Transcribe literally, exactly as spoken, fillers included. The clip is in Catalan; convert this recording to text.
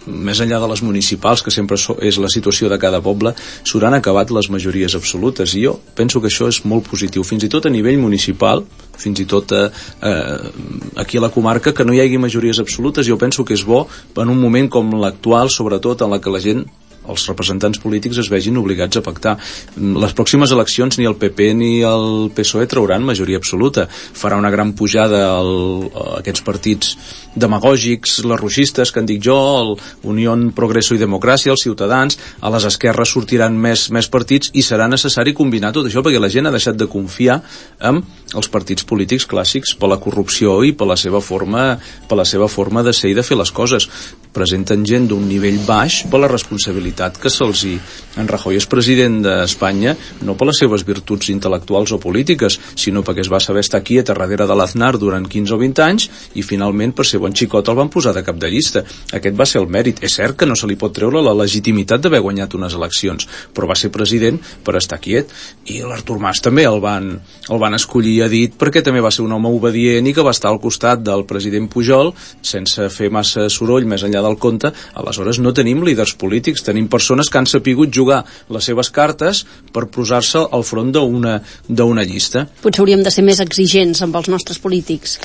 més enllà de les municipals, que sempre és la situació de cada poble, s'hauran acabat les majories absolutes, i jo penso que això és molt positiu, fins i tot a nivell municipal, fins i tot eh, eh, aquí a la comarca, que no hi hagi majories absolutes. Jo penso que és bo en un moment com l'actual, sobretot en la que la gent, els representants polítics, es vegin obligats a pactar. Les pròximes eleccions ni el P P ni el P S O E trauran majoria absoluta. Farà una gran pujada el, aquests partits demagògics, les roixistes, que en dic jo, el Unió Progreso i Democràcia, els Ciutadans, a les esquerres sortiran més, més partits, i serà necessari combinar tot això, perquè la gent ha deixat de confiar en els partits polítics clàssics per la corrupció i per la seva forma, per la seva forma de ser i de fer les coses. Presenten gent d'un nivell baix per la responsabilitat que se'ls hi... En Rajoy és president d'Espanya no per les seves virtuts intel·lectuals o polítiques, sinó perquè es va saber estar quiet a darrere de l'Aznar durant quinze o vint anys, i finalment, per ser bon xicot, el van posar de cap de llista. Aquest va ser el mèrit. És cert que no se li pot treure la legitimitat d'haver guanyat unes eleccions, però va ser president per estar quiet. I l'Artur Mas també el van, el van escollir a dit perquè també va ser un home obedient i que va estar al costat del president Pujol sense fer massa soroll més enllà del compte. Aleshores no tenim líders polítics, tenim persones que han sapigut jugar les seves cartes per posar-se al front d'una d'una llista. Potser hauríem de ser més exigents amb els nostres polítics.